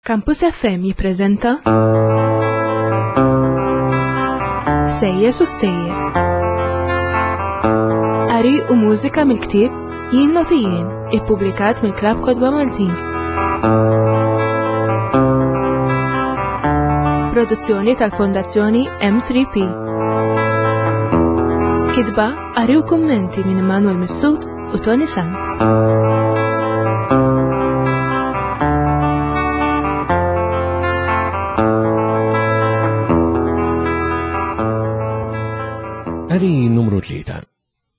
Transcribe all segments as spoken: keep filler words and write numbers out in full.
Campus F M jippreżenta Sejjes u Stejjer. Qari u mużika mill-ktieb Jien Noti Jien, ippubblikat mill-Klabb Kotba Maltin. Produzzjoni tal-Fondazzjoni M tlieta P. Kitba, qari u kummenti minn Immanuel Mifsud u Toni Sant. Qari numru tlieta.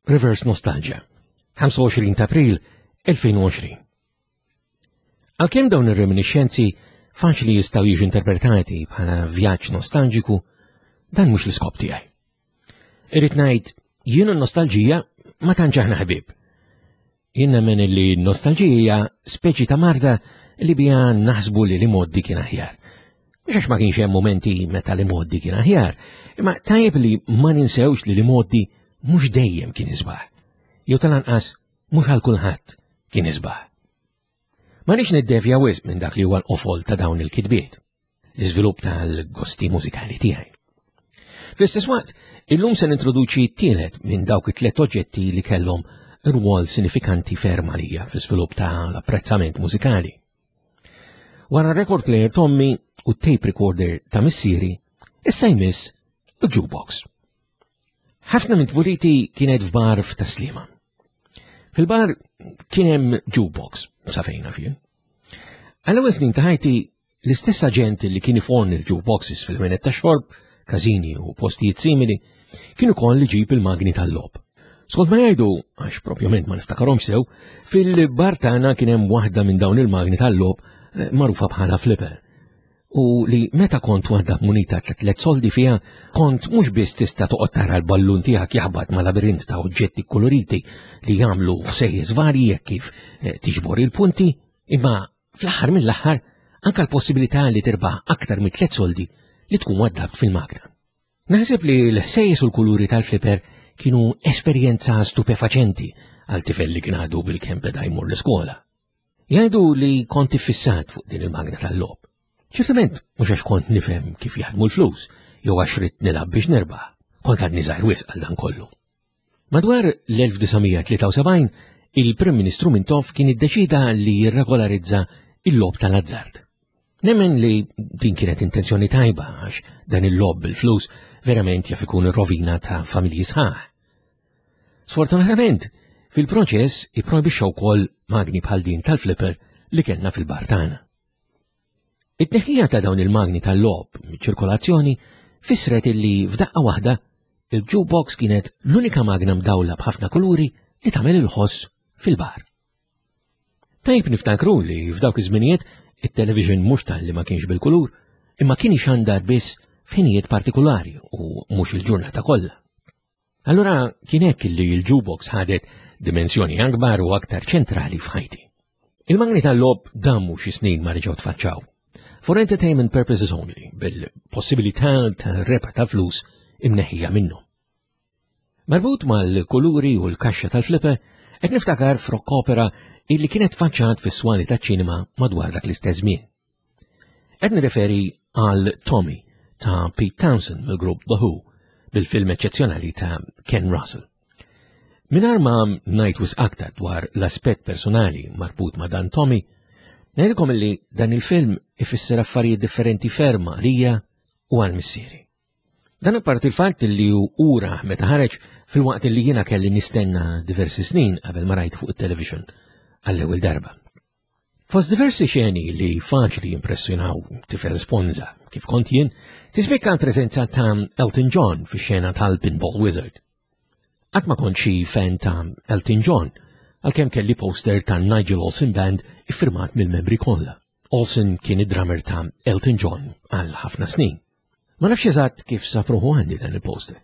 Reverse Nostalgia. ħamsa u għoxrin ta' April elfejn u għoxrin. Għalkemm dawn ir-reminiscenzi faċli jistgħu jiġu interpretati bħala vjaġġ nostalġiku, dan mhux l-iskop tiegħi. Irrid ngħid, jien n-nostalġija ma tantx aħna ħbieb. Jien nemmen li n-nostalġija speċi ta' marda li biha naħsbu li l-imgħoddi kien aħjar. Mhux għax ma kienx hemm momenti meta l-imgħoddi kien aħjar, imma tajjeb li ma ninsewx li l-imgħoddi mhux dejjem kien isbaħ. Jew tal-anqas mhux għal kulħadd kien isbaħ. Ma nix niddevja wisq minn dak li huwa l-qofol ta' dawn il-kitbiet, l-iżvilupp tal-gosti mużikali tiegħi. Fl-istess waqt, illum se nintroduċi t-tielet minn dawk it-tliet oġġetti li kellhom rwol sinifikanti ferm għalija fl-iżvilupp tal-apprezzament mużikali. Wara record player t'ommi u tape recorder ta' missieri, issa jmiss il-jukebox. Ħafna minn tfuliti kienet f'bar f'Tas-Sliema. Fil-bar kien hemm jukebox, sa fejn naf jien. Għall-ewwel snin ta' ħajti, l-istess aġent li kien iforni l-jukeboxes fil-ħwienet ta' xorb, każini u postijiet simili, kien ukoll iġib il-magni tal-logħob. Skont ma jgħidu, għax propjament ma niftakarhomx sew, fil-bar tagħna kien hemm waħda minn dawn il-magni tal-logħob eh, magħrufa bħala flipper. U li meta kont waħda munita ta' tliet soldi fiha, kont mhux biss tista' toqgħod tara l-ballun tiegħek jaħbat ma' labirint ta' oġġetti koloriti li jagħmlu ħsejjes varji jekk kif eh, tiġbor il-punti, imma fl-aħħar mill-aħħar anka l-possibilità li tirbaħ aktar minn tliet soldi li tkun waddabt fil-magna. Naħseb li l-ħsejjes u l-kuluri tal-flipper kienu esperjenza stupefaċenti għal tifel li kien għadu bil-kemm beda jmur l-iskola. Jgħidu li kont iffissat fuq din il-magna tal-logħob. Ċertament, mhux għax kont nifhem kif jaħdmu l-flus, jew għax ridt nilgħab biex nerbaħ. Kont għadni żgħir wisq għal dan kollu. Madwar l-elf disa' mija tlieta u sebgħin, il-Prim Ministru Mintoff kien iddeċida li jirregolarizza il-logħob tal-azzard. Nemmen li din kienet intenzjoni tajba, għax dan il-logħob bil-flus verament jaf ikun rovina ta' familji sħaħ. Sfortunatament, fil-proċess ipprojbixxa wkoll magni bħal din tal-flipper li kellna fil-bar tagħna. It-tneħħija ta' dawn il-magni tal-logħob miċ-ċirkolazzjoni fissret illi f'daqqa waħda il-jukebox kienet l-unika magna mdawla b'ħafna kuluri li tagħmel il-ħoss fil-bar. Tajb niftakru li f'dawk iż-żminijiet it-television mhux talli ma kienx bil-kulur, imma kien ixandar biss f'ħinijiet partikolari u mhux il-ġurnata kollha. Allura kien hekk li l-jukebox ħadet dimensjoni akbar u aktar ċentrali f'ħajti. Il-magni tal-logħob damu xi snin ma reġgħu tfaċċaw. For entertainment purposes only, bil-possibilità ta' rebħ ta' flus imneħħija minnu. Marbut mal-kuluri u l-kaxxa tal-flipper, qed niftakar f'rock opera illi kienet faċċat fis-swali ta' ċinema madwar dak l-istess żmien. Qed nirreferi għal Tommy ta' Pete Townshend mill-grupp The Who, bil-film eċċezzjonali ta' Ken Russell. Mingħajr ma ngħid wisq aktar dwar l-aspett personali marbut ma' dan Tommy, ngħidilkom illi dan il-film ifisser affarijiet differenti ferm għalija u għal missieri. Dan apparti il-fatt li ura meta ħareġ, filwaqt li jiena kelli nistenna diversi snin qabel ma rajt fuq it-television għall-ewwel darba. Fost diversi xeni li faċli impressjonaw tifel sponza kif kont jien, tispikka l-preżenza ta' Elton John fi xena tal-Pinball Wizard. Qatt ma kont xi fan ta' Elton John, għalkemm kelli poster ta' Nigel Olsson Band iffirmat mill-membri kollha. Olsson kien id-drummer ta' Elton John għal ħafna snin. Ma nafx eżatt kif sab ruħu għandi dan il-poster.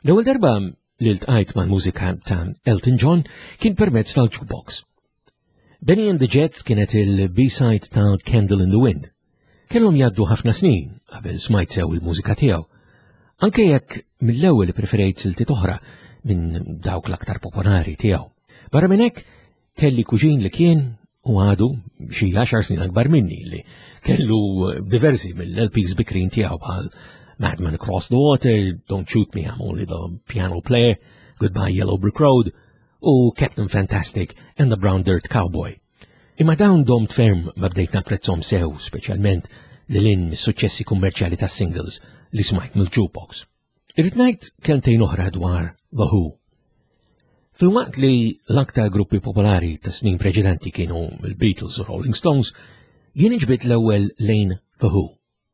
L-ewwel darba li ltqajt mal-mużika ta' Elton John kien permezz tal-jukebox. Bennie and the Jets kienet il-B-side ta' Candle in the Wind. Kellhom jgħaddu ħafna snin qabel smajt sew il-mużika tiegħu. Anke jekk mill-ewwel preferejt siltiet oħra minn dawk l-aktar popolari tiegħu. Barra minn hekk kelli kuġin li kien u għadu xi għaxar snin akbar minni li kellu diversi mill-L Ps bikrin tiegħu bħal Madman Across the Water, Don't Shoot Me, I'm Only the Piano Player, Goodbye Yellow Brick Road u Captain Fantastic and the Brown Dirt Cowboy. Imma dawn domt ferm ma bdejt napprezzhom sew, speċjalment li lin mis-suċċessi kummerċjali tas singles li smajt mill-jukebox. Irrid ngħid kelmtejn oħra dwar The Who. Filwaqt li l-aktar gruppi popolari ta' snin preċedenti kienu il-Beatles u Rolling Stones, jien inġbid l-ewwel lejn The Who.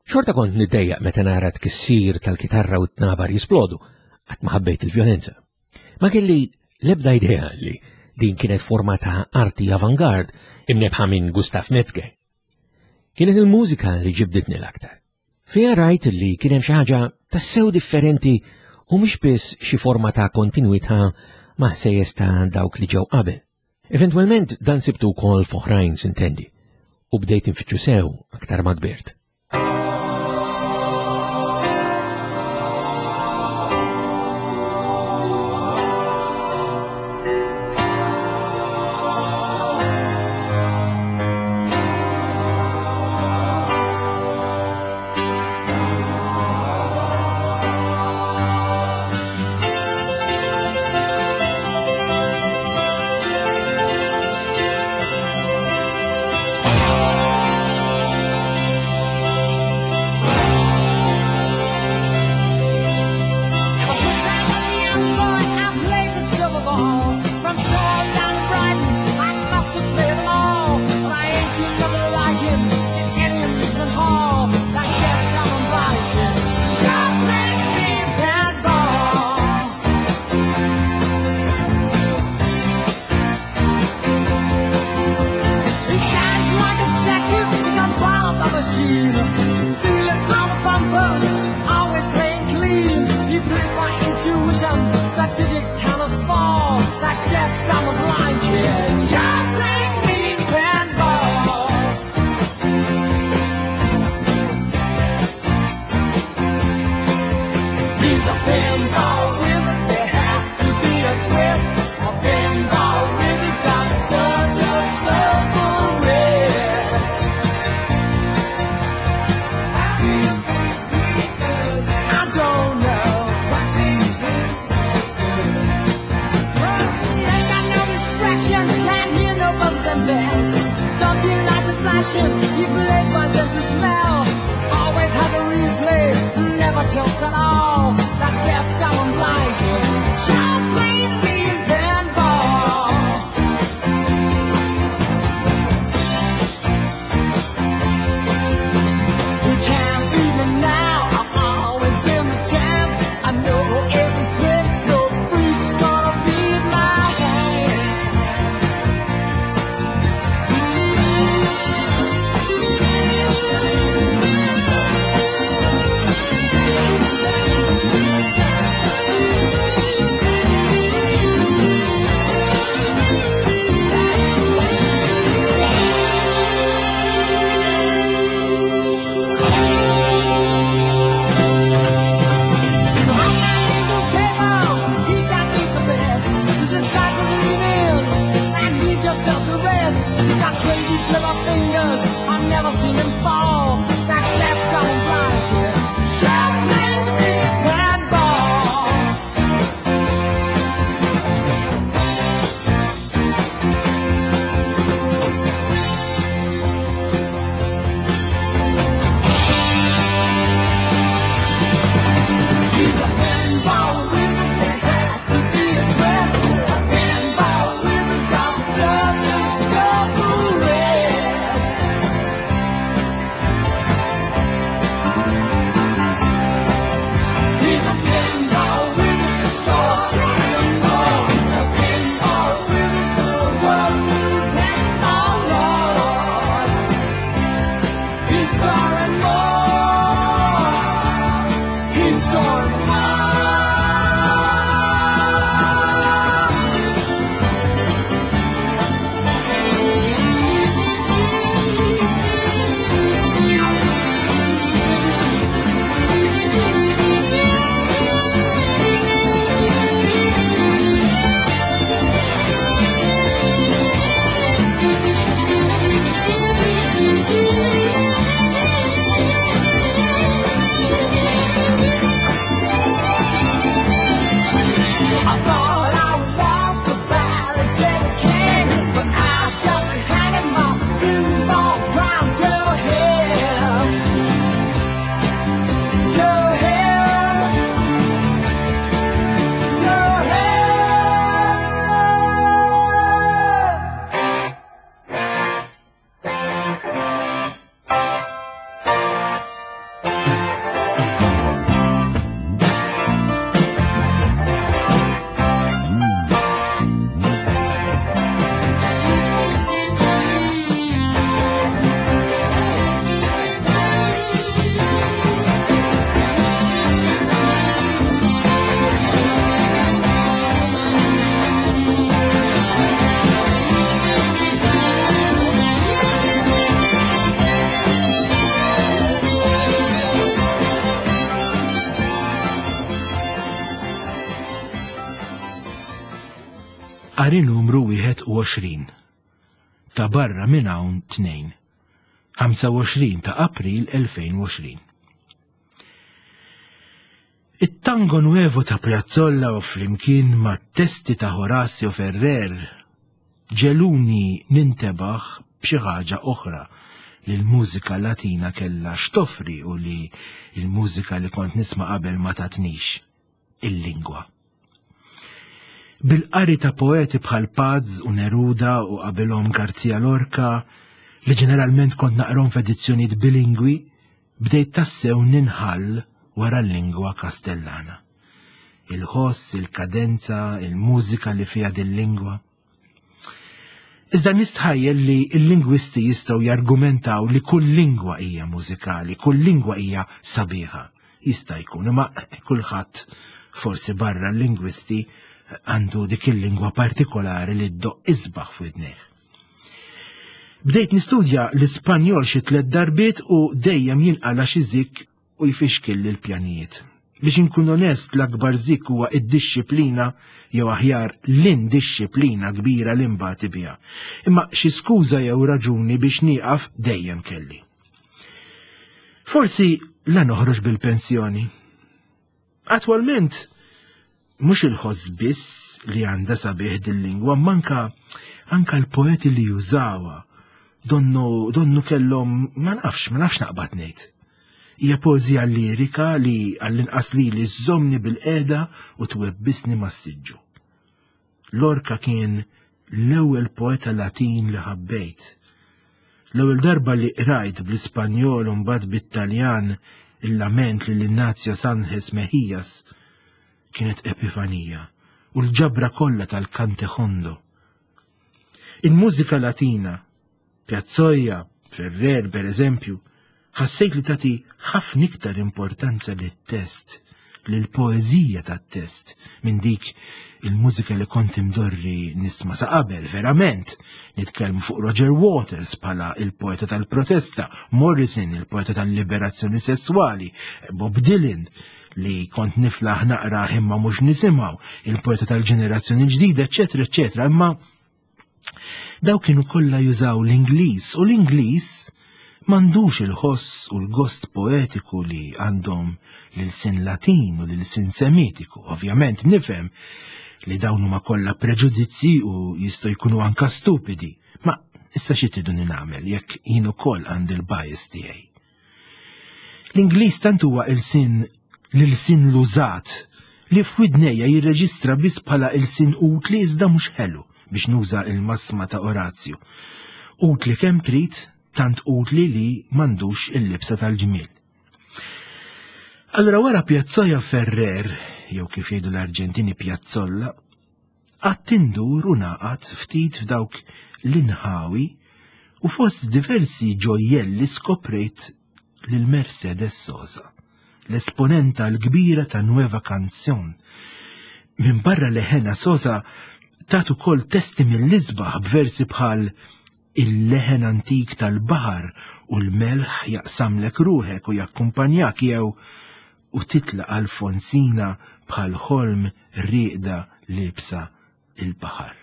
Xorta kont niddejjaq meta nara tkissir tal-kitarra u t-nabar jisplodu, qatt ma ħabbejt il-vjolenza. Ma kelli l-ebda idea li din kienet forma ta' arti avangard imnebħa minn Gustav Metzger. Kienet il-mużika li ġibditni l-aktar. Fija rajt li kien hemm xi ħaġa tassew differenti u mhux biss xi forma ta' kontinwità ma' ħsejjes ta' dawk li ġew qabel. Eventwalment dan sibtu wkoll f'oħrajn sintendi u bdejt infittxu sew aktar ma kbirt. Thank you. Qari numru wieħed u għoxrin. Ta' barra minn hawn tnejn. ħamsa u għoxrin ta' April elfejn u għoxrin. It-tango nuevo ta' Piazzolla u flimkien ma' testi ta' Horacio Ferrer ġeluni nintebaħ b'xi ħaġa oħra li l-mużika Latina kellha x'toffri u li l-mużika li kont nisma' qabel ma tatnix, il-lingwa. Bil-qari ta' poeti bħal Paz u Neruda u qabilhom Garcia Lorca, li ġeneralment kont naqrom f'edizzjonijiet bilingwi, bdejt tassew ninħall wara l-lingwa Kastellana. Il-ħoss, il-kadenza, il-mużika li fiha din-lingwa. Iżda nistħajjel li l-lingwisti jistgħu jargumentaw li kull lingwa hija mużikali, kull lingwa hija sabiħa. Jista' jkun, imma kulħadd forsi barra l-lingwisti għandu dik il-lingwa partikolari li ddoq isbaħ f'widnejh. Bdejt nistudja l-Ispanjol xi tliet darbiet u dejjem jinqala xi zik u jfixkil l-pjanijiet. Biex inkun onest, l-akbar zik huwa id-dixxiplina jew aħjar l-indixxiplina kbira li mbagħti biha. Imma xi skuża jew raġuni biex nieqaf dejjem kelli. Forsi la noħroġ bil-pensjoni. Attwalment mhux il-ħoss biss li għandha sabiħ dil-lingwa, manka anka l-poeti li jużawha donnu, donnu kellhom ma nafx, ma nafx naqbad ngħid. Hija poeżija lirika li għall-inqas lili żżommni bil-qiegħda u twebbisni mas-siġġu. Lorca kien l-ewwel poeta Latin li ħabbejt. L-ewwel darba li qrajt bl-Ispanjol u mbagħad bit-Taljan il-lament lil Ignacio Sánchez Mejías kienet epifanija u l-ġabra kollha tal-Cantejondo. Il-mużika Latina, Piazzolla, Ferrer per eżempju, ħassejt li tagħti ħafna iktar importanza lit-test, lill-poeżija tat-test, minn dik il-mużika li kont imdorri nisma' sa qabel, verament. Nitkellmu fuq Roger Waters bħala il-poeta tal-protesta, Morrison il-poeta tal-liberazzjoni sesswali, Bob Dylan li kont niflaħ naqra imma mhux nisimgħu, il-poeta tal-ġenerazzjoni ġdida, eċċetera, eċċetera. Imma daw kienu kollha jużaw l-Ingliż u l-Ingliż m'għandux il-ħoss u l-gost poetiku li għandhom l-sin Latin u l-sin Semitiku. Ovvjament nifhem li dawn huma kollha preġudizzi u jistgħu jkunu anka stupidi, ma issa xi triduni nagħmel jekk jien ukoll għandi l-bias tiegħi. L-Ingliż tant huwa il-sin l-sin l-użat li f'widnejja jirreġistra biss bħala il-sin utli iżda mhux ħelu biex nuża il-massma ta' Orazio. Utli kemm trid, tant utli li m'għandux il-libsa tal-ġmiel. Allora wara Piazzolla Ferrer, jew kif jgħidu l-Arġentini Piazzolla, qatt indur u naqat ftit f'dawk l-inħawi u fost diversi ġojjelli skoprejt lil Mercedes Sosa, l-esponenta l-kbira ta' Nueva Canción. Minn barra leħena Sosa tat ukoll testi mill-isbaħ b'versi bħal il-leħen antik tal-baħar u l-melħ jaqsamlek ruħek u jakkumpanjak jew u titla Alfonsina bħal ħolm rieqda libsa il-baħar.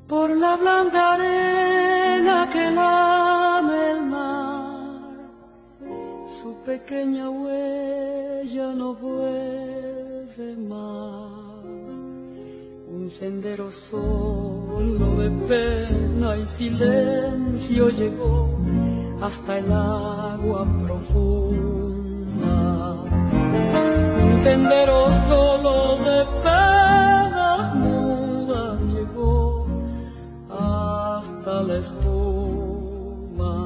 Por la blanda arena que lame el mar, su pequeña huella no vuelve más. Un sendero solo de pena y silencio llegó hasta el agua profunda. Un sendero solo de penas mudas llegó hasta la espuma.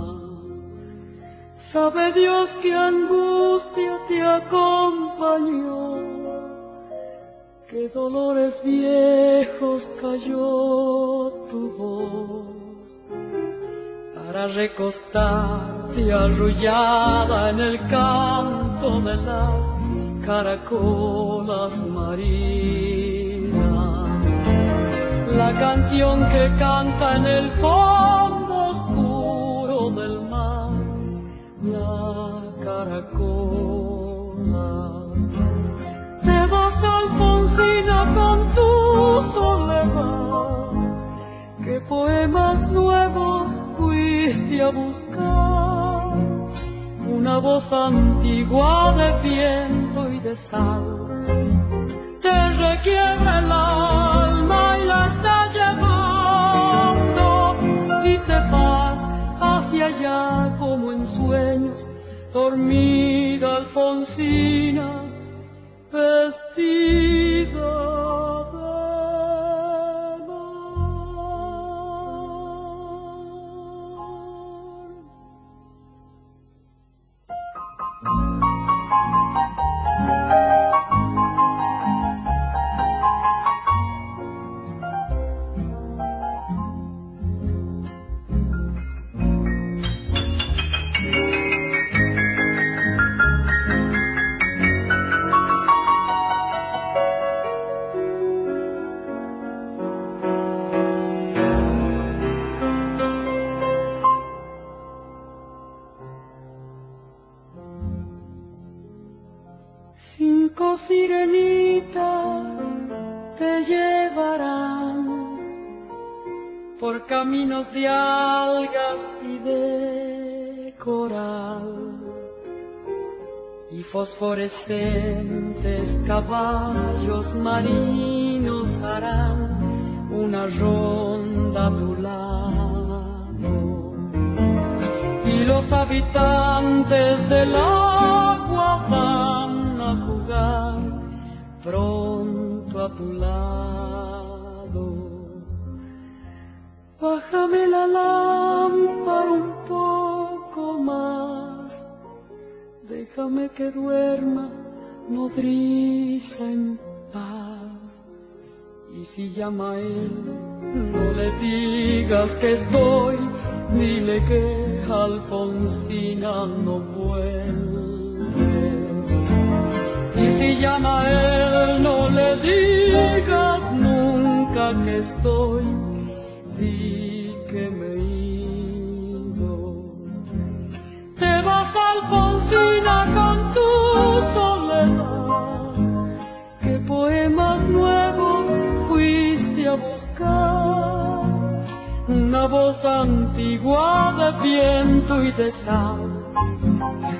Sabe Dios qué angustia te acompañó, qué dolores viejos cayó tu voz, para recostarte arrullada en el canto canto de las caracolas marinas, la canción que canta en el fondo oscuro del mar, la caracola. Te vas, Alfonsina, con tu soledad, qué poemas nuevos fuiste a buscar, una voz antigua de viento y de sal te requiebra el alma y la está llevando, y te vas hacia allá como en sueños, dormida Alfonsina, vestida de mar. Cinco sirenitas te llevarán por caminos de algas y de coral, y fosforescentes caballos marinos harán una ronda a tu lado, y los habitantes del agua van a jugar pronto a tu lado. Bájame la lámpara un poco más, déjame que duerma nodriza en paz. Y si llama a él, no le digas que estoy, dile que Alfonsina no vuelve. Y si llama a él, no le digas nunca que estoy, di que me he ido. Te vas, Alfonsina, con tu soledad, qué poemas nuevos fuiste a buscar, una voz antigua de viento y de sal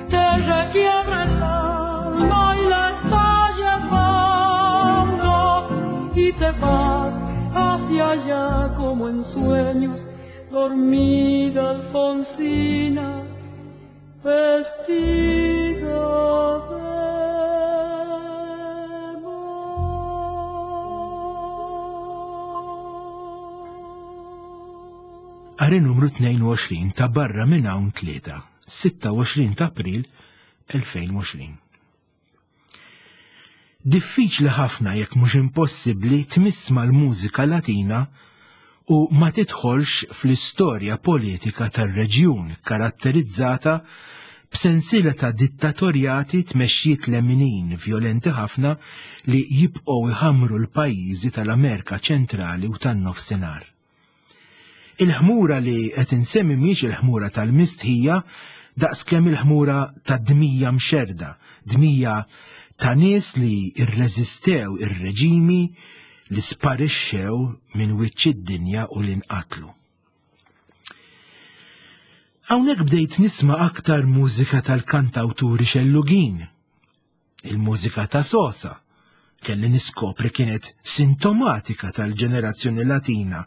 te requiebra el alma y la está llevando, y te vas hacia allá como en sueños, dormida Alfonsina, vestida de mar. Qari numru tnejn u għoxrin ta' Barra minn hawn tlieta, sitta u għoxrin ta' April elfejn u għoxrin. Diffiċli ħafna jekk mhux impossibbli tmiss mal-mużika Latina u ma tidħolx fl-istorja politika tar-reġjun karatterizzata b'sensiela ta' dittatorjati tmexxiet leminin vjolenti ħafna li jibqgħu iħammru l-pajjiżi tal-Amerika Ċentrali u tan-Nofsinhar. Il-ħmura li qed insemmi mhijiex il-ħmura tal-mistħija daqskemm il-ħmura tad-dmija mxerda, dmija ta' nies li rreżistew ir-reġimi li sparixxew minn wiċċ id-dinja u li nqatlu. Hawnhekk bdejt nisma' aktar mużika tal-kantawturi xellugin. Il-mużika ta' Sosa, kelli niskopri kienet sintomatika tal-ġenerazzjoni Latina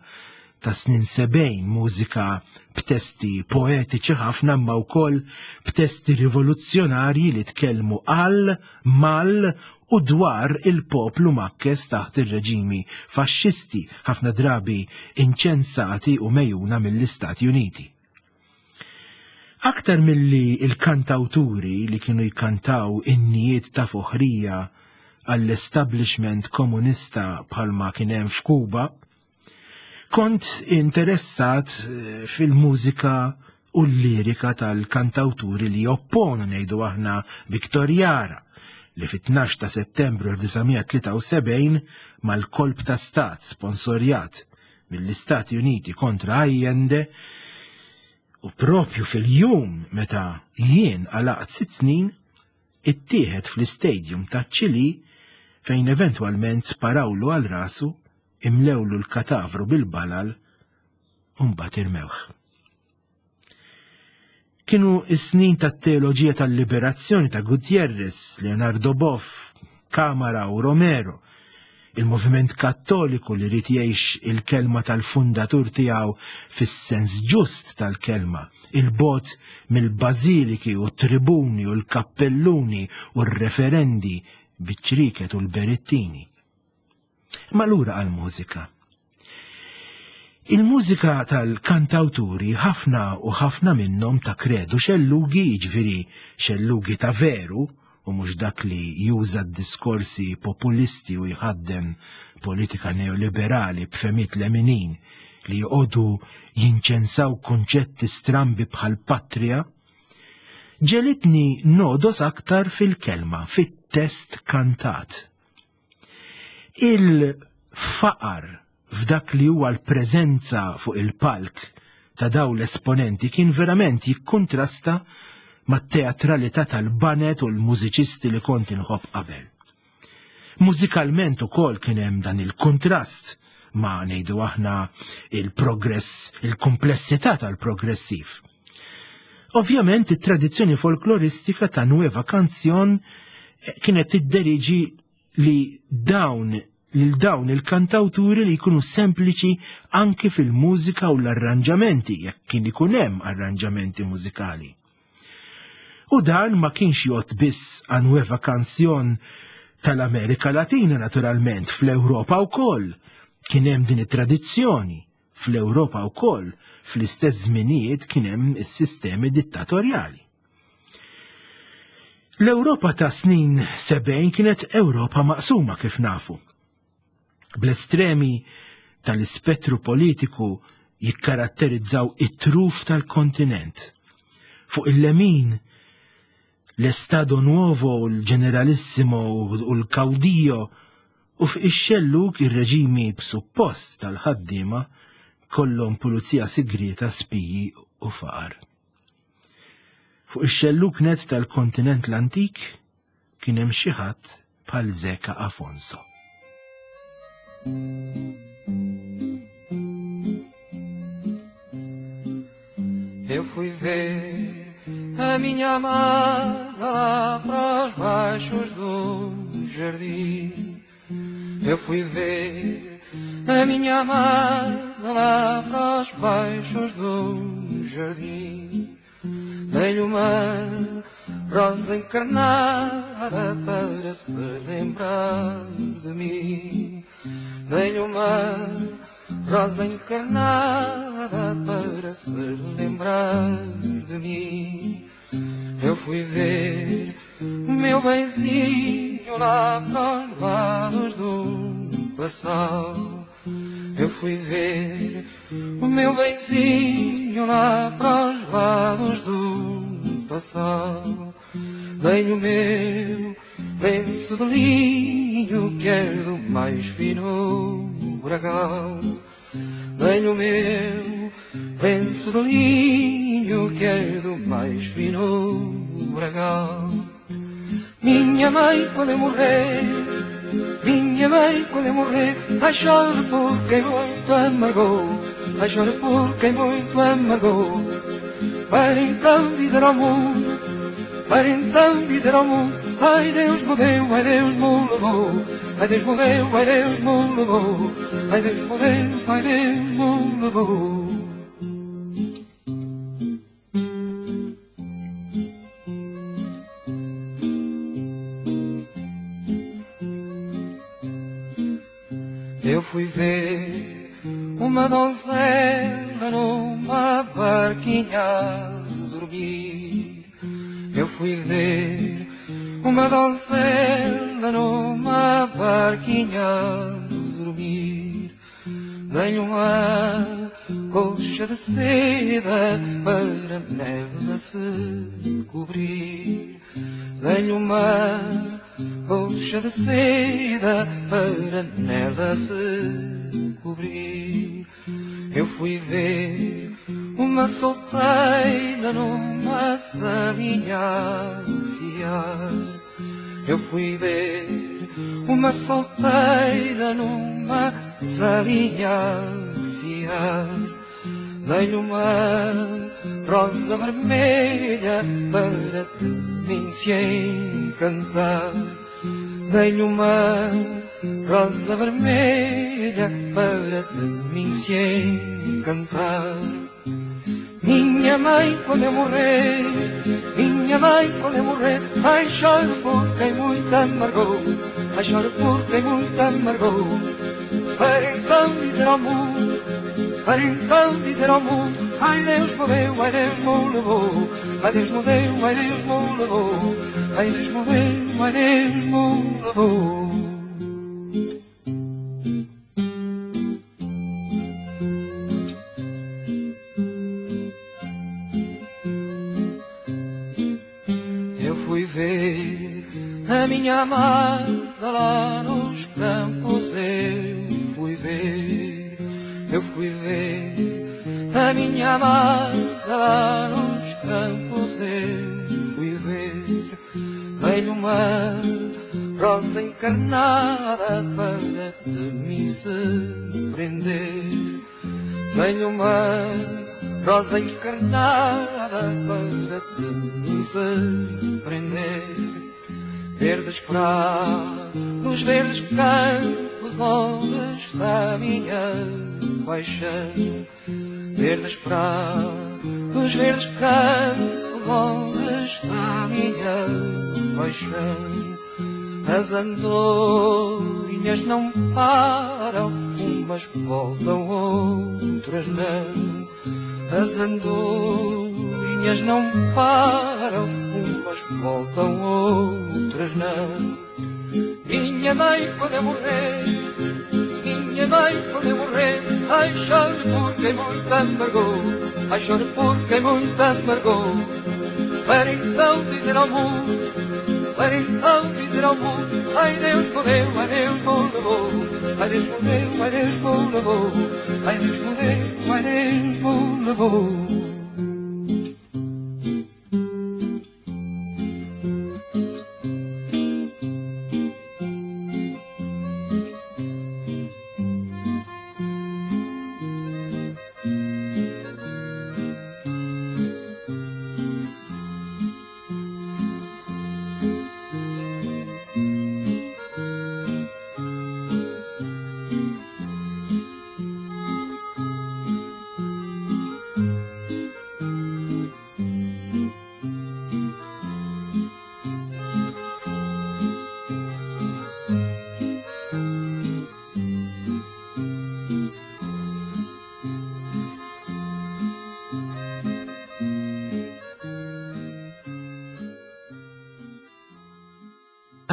ta' snin sebgħin, mużika b'testi poetiċi ħafna imma wkoll b'testi rivoluzzjonarji li tkellmu għal, mal u dwar il-poplu makkes taħt ir-reġimi faxxisti, ħafna drabi inċensati u mejjuna mill-Istati Uniti. Aktar milli il-kantawturi li kienu jkantaw innijiet ta' foħrija għall-establishment komunista bħalma kien hemm f'Kuba, kont interessat fil-mużika u l-lirika tal-kantawturi li opponu ngħidu aħna Victor Jara, li fit-tnax ta' Settembru elf disa' mija tlieta u sebgħin mal-kolp ta' stat sponsorjat mill-Istati Uniti kontra Allende, u propju fil-jum meta jien għalaqt sitt snin, ittieħed fl-istadium ta' Ċili fejn eventwalment sparawlu għal rasu, imlewlu l-katavru bil-balal u mbagħad irmewh. Kienu s-snin tat-teoloġija tal-liberazzjoni ta' Gutierrez, Leonardo Boff, Camara u Romero, il-moviment kattoliku li rid jgħix il-kelma tal-fundatur tiegħu fis-sens ġust tal-kelma, il-bot mill-bażiliki u t-tribuni u l-kappelluni u r-referendi biċ-ċriket u l-berittini. Ma lura għall-mużika. Il-mużika tal-kantawturi ħafna u ħafna minnhom ta' kredu xellugi, jiġifieri xellugi ta' veru, u mhux dak li juża d-diskorsi populisti u jħaddem politika neoliberali b'femiet leminin li joqogħdu jinċensaw kunċetti strambi bħal patria, ġelitni nodos aktar fil-kelma, fit-test kantat. Il-faqar f'dak li huwa l-preżenza fuq il-palk ta' daw l-esponenti kien verament jikkontrasta mat-teatralità tal-banet u l-mużiċisti li kont inħobb qabel. Mużikalment ukoll kien hemm dan il-kontrast ma' ngħidu aħna il-progress, il-komplessità tal-progressiv. Ovvjament it-tradizzjoni folkloristika ta' Nueva Canción kienet tidderiġi li dawn lil dawn il-kantawturi li jkunu sempliċi anki fil-mużika u l-arranġamenti, jekk kien ikun hemm arranġamenti mużikali. U dan ma kienx jgħod biss għan Nueva Canción tal-Amerika Latina naturalment, fl-Ewropa wkoll kien hemm din it-tradizzjoni, fl-Ewropa wkoll fl-istess żminijiet kien hemm is-sistemi dittatorjali. L-Ewropa ta' snin sebgħin kienet Ewropa maqsuma kif nafu. Bl-estremi tal-ispettru politiku jikkaratterizzaw it-truf tal-kontinent. Fuq il-lemin, l-Estado Nuovo, l-Generalissimo u l-Caudillo, u fuq ix-xellug ir-reġimi b'suppost tal-ħaddiema kollhom pulizija sigrieta, spiji u faqar. Fuq ix-xellug net tal-kontinent l-antik kien hemm xi ħadd bħal Zeca Afonso. Eu fui ver a minha amada lá para os baixos do jardim. Eu fui ver a minha amada lá para os baixos do jardim. Dei-lhe uma rosa encarnada para se lembrar de mim. Dei-lhe uma rosa encarnada para se lembrar de mim. Eu fui ver o meu benzinho lá para os lados do passado. Eu fui ver o meu benzinho lá para os lados do passado. Dei-lhe o meu lenço de linho, que é do mais fino bragal. Dei-lhe o meu lenço de linho, que é do mais fino bragal. Minha mãe, quando eu morrer, minha mãe, quando eu morrer, ai choro por quem muito amargou, ai choro por quem muito amargou. Para então dizer ao mundo, para então dizer ao mundo, ai Deus me deu, ai Deus me levou, ai Deus me deu, ai Deus me levou, ai Deus me deu, ai Deus me levou. Eu fui ver uma donzela numa barquinha a dormir. Eu fui ver uma donzela numa barquinha a dormir. Dei-lhe uma colcha de seda para nela se cobrir. Dei-lhe uma colcha de seda para nela se cobrir. Eu fui ver uma solteira numa salinha a fiar. Eu fui ver uma solteira numa salinha a fiar. Dei-lhe uma rosa vermelha para de mim se encantar. Dei-lhe uma rosa vermelha para de mim se encantar. Minha mãe, quando eu morrer, minha mãe, quando eu morrer, ai, choro porque muito amargou, ai, choro porque muito amargou. Para então dizer ao mundo, para então dizer ao mundo, ai, Deus me deu, ai, Deus me levou, ai, Deus me deu, ai, Deus me levou, ai, Deus me deu, ai, Deus me levou. A minha amada lá nos campos eu fui ver, eu fui ver. A minha amada lá nos campos eu fui ver. Dei-lhe uma rosa encarnada para de mim se prender. Dei-lhe uma rosa encarnada para de mim se prender. Verdes prados, verdes campos, onde está a minha paixão? Verdes prados, verdes campos, onde está a minha paixão? As andorinhas não param, umas voltam, outras não. As andorinhas não param, umas voltam, outras não. Minha mãe, quando eu morrer, minha mãe, quando eu morrer, ai, choro porque muito amargou, ai, choro porque muito amargou. Para então dizer ao mundo, para então dizer ao mundo, ai, Deus me deu, ai, Deus me levou, ai, Deus me deu, ai, Deus me levou, ai, Deus me deu, ai, Deus me levou.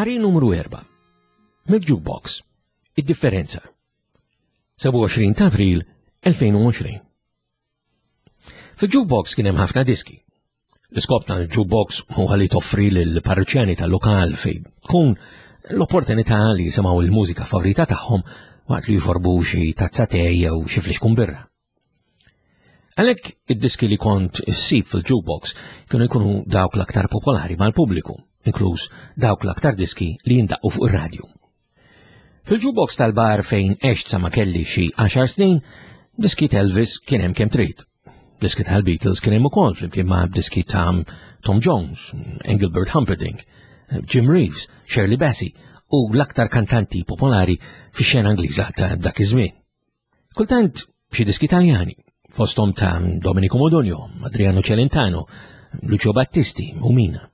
Qari numru erba'. Mill-Jukebox. Id-differenza. sebgħa u għoxrin ta' April elfejn u għoxrin. Fil-Jukebox kien hemm ħafna diski. L-iskop tal-Jukebox huwa li toffri lill-parruċjani tal-lokal fejn tkun l-opportunità li jisimgħu l-mużika favorita tagħhom waqt li jxorbu xi tazza te jew xi flixkun birra. Għalhekk id-diski li kont issib fil-Jukebox kienu jkunu dawk l-aktar popolari mal-pubbliku, inkluż dawk l-aktar diski li jindaqqu fuq ir-radju. Fil-jukebox tal-bar fejn għext sa ma kelli xi għaxar snin, diski Elvis kien hemm kemm trid. Diski tal-Beatles kien hemm ukoll flimkien ma' diski ta' Tom Jones, Engelbert Humperdinck, Jim Reeves, Shirley Bassey u l-aktar kantanti popolari fix-xena Ingliża ta' dak iż-żmien. Kultant xi diski Taljani, fosthom ta' Domenico Modugno, Adriano Celentano, Lucio Battisti u Mina.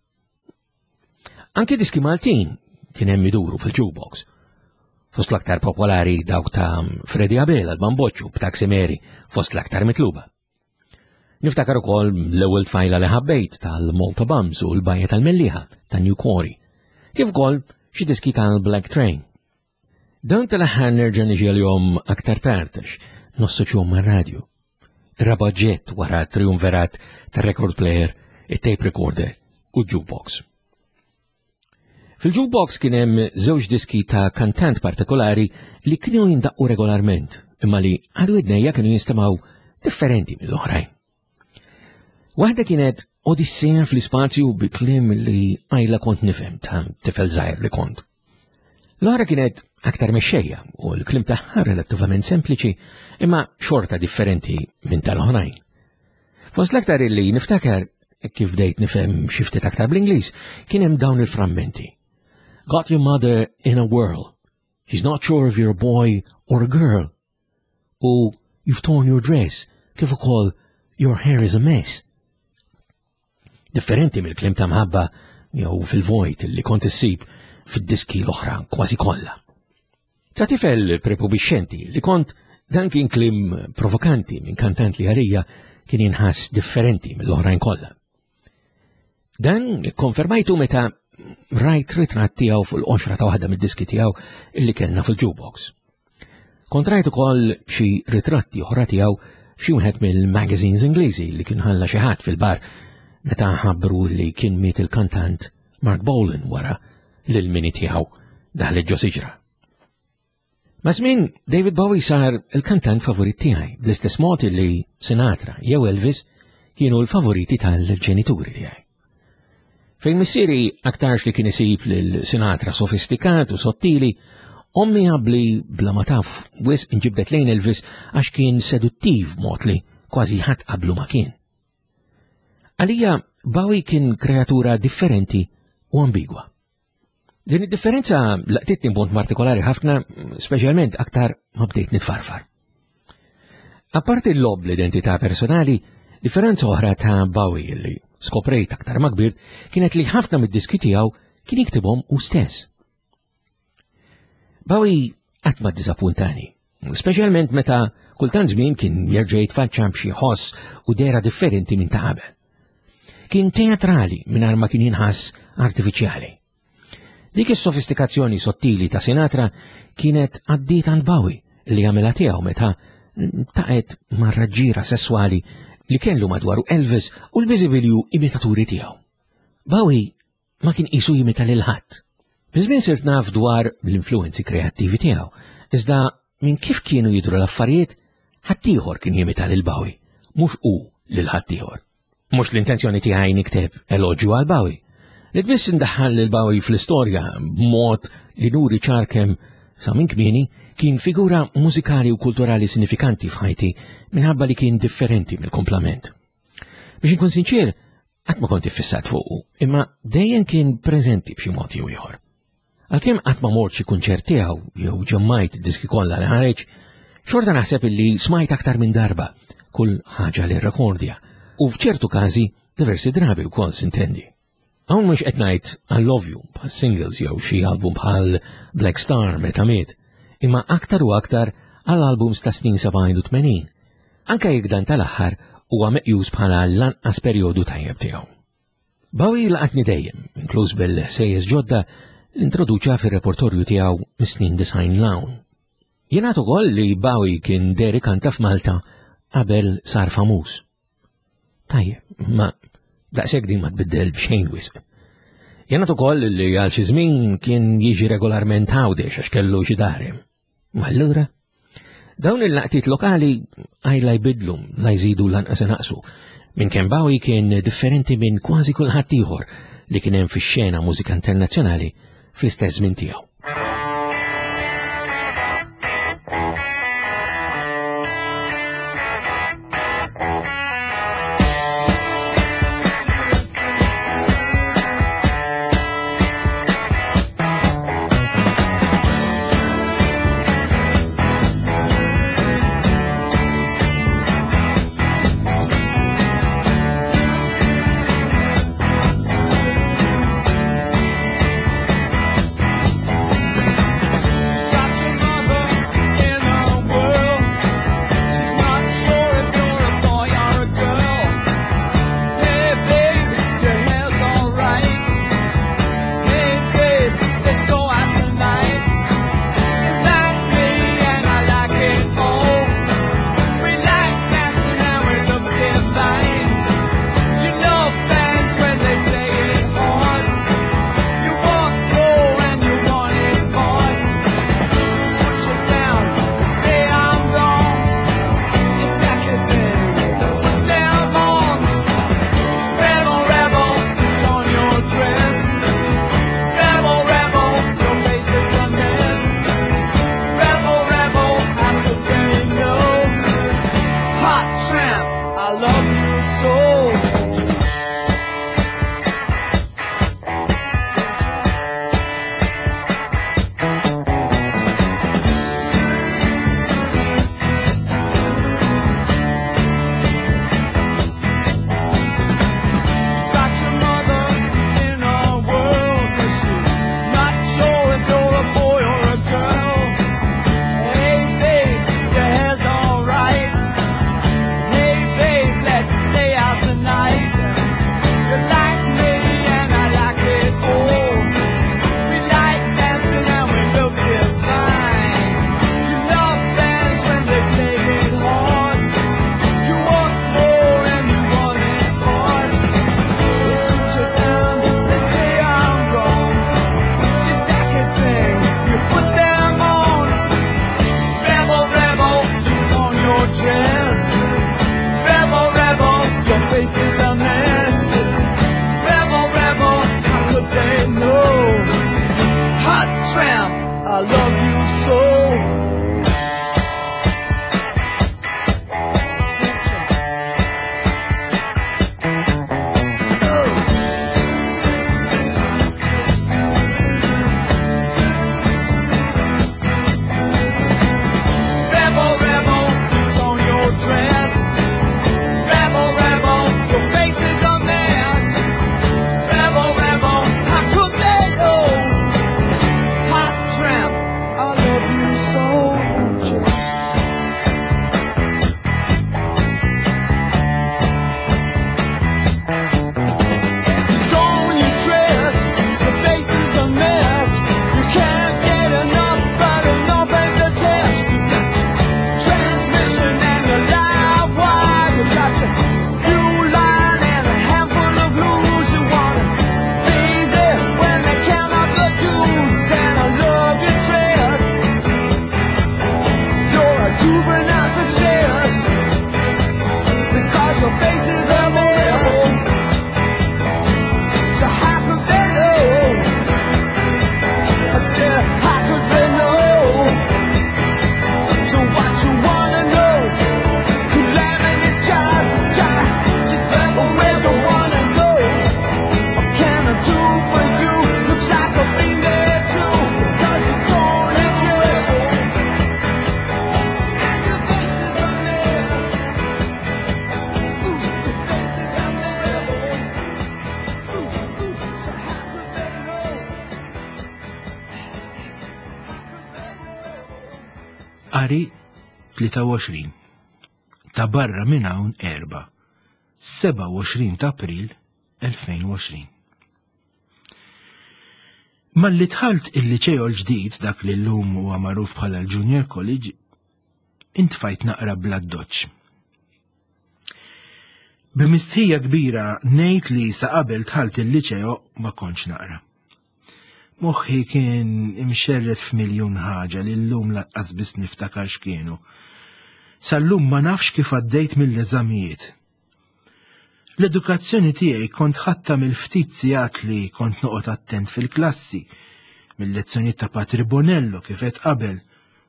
Anke diski Maltin kien hemm iduru fil-jukebox. Fost l-aktar popolari dawk ta' Freddy Abela, l-Bamboċċu, b'Taxi Mary, fost l-aktar mitluba. Niftakar ukoll l-ewwel tfajla li ħabbejt tal-Malta Bums u l-Bajja tal-Mellieħa ta' New Quarry, kif ukoll xi diski tal-Black Train. Dan tal-aħħar nerġa' niġi għalihom aktar tard għax nossoċjahom mar-radju. Ir-raba' oġġett wara triumverat tar-record player, it-tape recorder u jukebox. Fil-jukebox kien hemm żewġ diski ta' kantant partikolari li kienu jindaqqu regolarment, imma li għal widnejja kienu jinstemgħu differenti mill-oħrajn. Waħda kienet Odissea fl-ispazju bi kliem li qajla kont nifhem ta' tifel żgħir li kont. L-oħra kienet aktar mexxejja u l-kliem tagħha relattivament sempliċi imma xorta differenti minn tal-oħrajn. Fost l-aktar illi niftakar kif bdejt nifhem xi ftit aktar bl-Ingliż kien hemm dawn il-frammenti. Got your mother in a whirl. She's not sure if you're a boy or a girl. U you've torn your dress, kif ukoll your hair is a mess. Differenti mill-kliem ta' mħabba jew fil-vojt li kont issib fid-diski l-oħra kważi kollha. Ta' tifel prepubixxenti li kont dan kien kliem provokanti minn kantant li għalija kien jinħass differenti mill-oħrajn kollha. Dan konfermajtu meta rajt ritratt tiegħu fuq il-qoxra ta' waħda mid-diski tiegħu illi kellna fil-jukebox. Kont rajt ukoll xi ritratti oħra tiegħu f'xi wieħed mill-magazines Ingliżi li kien ħalla xi ħadd fil-bar meta ħabbru li kien miet il-kantant Marc Bolan wara li l-Mini tiegħu daħlet ġo siġra. Maż-żmien David Bowie sar il-kantant favorit tiegħi bl-istess mod li Sinatra jew Elvis kienu l-favoriti tal-ġenituri tiegħi. Fejn missieri aktarx li kien isib lil Sinatra sofistikat u sottili, ommi għabli bla ma taf wisq inġibdet lejn Elvis għax kien seduttiv mod li kważi ħadd qablu ma kien. Għalija Bowie kien kreatura differenti u ambigwa. Din id-differenza laqtitni b'mod partikolari ħafna, speċjalment aktar ma bdejt nitfarfar. Apparti l-lob l-identità personali, differenza oħra ta' Bowie li skoprejt aktar ma kbirt kienet li ħafna mid-diski tiegħu kien jiktibhom hu stess. Bowie qatt ma ddiżappuntani, speċjalment meta kultant żmien kien jerġa' jitfaċċa b'xi ħoss u dehra differenti minn ta' qabel. Kien teatrali mingħajr ma kien jinħass artifiċjali. Dik is-sofistikazzjoni sottili ta' Sinatra kienet għaddiet għand Bowie li għamilha tiegħu meta taqet mar-raġġira sesswali li kellu madwaru Elvis u l-biżibilju imitaturi tiegħu. Bowie ma kien qisu jimita lil ħadd. Biż-żmien sirt naf dwar l-influenzi kreattivi tiegħu, iżda minn kif kienu jidru l-affarijiet, ħaddieħor kien jimita lil Bowie, mhux hu lil ħaddieħor. Mhux l-intenzjoni tiegħi nikteb eloġju għal Bowie. Li biss indaħħal lil Bowie fl-istorja b'mod li nuri ċar kemm sa minn kmieni kien figura mużikali u kulturali sinifikanti f'ħajti minħabba li kien differenti mill-komplament. Biex inkun sinċir, qatt ma kont iffissat fuqu, imma dejjem kien preżenti b'xi mod jew ieħor. Għalkemm qatt ma mort xi kunċert tiegħu jew ġemmajt diski kollha li ħareġ, xorta naħseb illi smajt aktar minn darba kull ħaġa li rrekordja u f'ċertu każi diversi drabi wkoll sintendi. Hawn mhux qed ngħid għall-ovvju bħal singles jew xi album bħal Black Star meta miet, imma aktar u aktar għal albums ta' snin sebgħin u tmenin, anke jekk dan tal-aħħar huwa meqjus bħala l-anqas perjodu tajjeb tiegħu. Bowie laqatni dejjem, inkluż bil-sejjes ġodda li introduċa fir-repertorju tiegħu mis-snin design l-hawn. Jingħad ukoll li Bowie kien deri kanta f'Malta qabel sar famuż. Tajjeb, ma daqshekk din ma tbiddel b'xejn wisq. Jingħad ukoll li għal xi żmien kien jiġi regolarment Għawdex għax kellu xi dari. Ma allura, dawn il-laqtiet lokali għajla jbidlu, la jżidu lanqas naqsu. Minn kemm Bowie kien differenti minn kważi kulħadd ieħor li kien hemm fix-xena mużika internazzjonali fl-istess żmien tiegħu. Id-dari tlieta u għoxrin, ta' barra minn hawn erba', sebgħa u għoxrin ta' April elfejn u għoxrin. Malli dħalt il-liċeo l-ġdid, dak li llum huwa magħruf bħala l-Junior College, intfajt naqra bl-addoċċ. B'mistħija kbira ngħid li sa qabel dħalt il-liċeo ma kontx naqra. Moħħi kien imxerred f'miljun ħaġa li llum lanqas biss niftakar x'kienu. Sal-lum ma nafx kif għaddejt mill-eżamijiet. L-edukazzjoni tiegħi kont ħadtha mill-ftit sigħat li kont noqgħod attent fil-klassi, mill-lezzjonijiet ta' Patri Bonello kif qed qabel,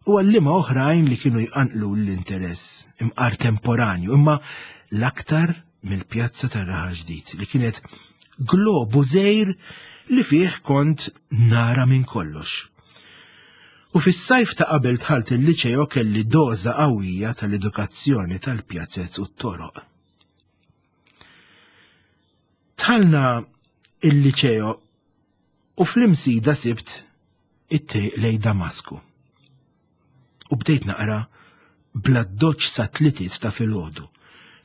u għalliema oħrajn li kienu jqanqlu l-interess imqar temporanju, imma l-aktar mill-pjazza tar-Raħal Ġdid li kienet globu żgħir li fih kont nara minn kollox. U fis-sajf ta' qabel dħalt il-liċeo kelli doża qawwija tal-edukazzjoni tal-pjazzez u t-toroq. Dħalna il-liċeo u fl-imsida sibt it-triq lej Damasku. U bdejt naqra bl-addoċċ sa tlietiet ta' filgħodu,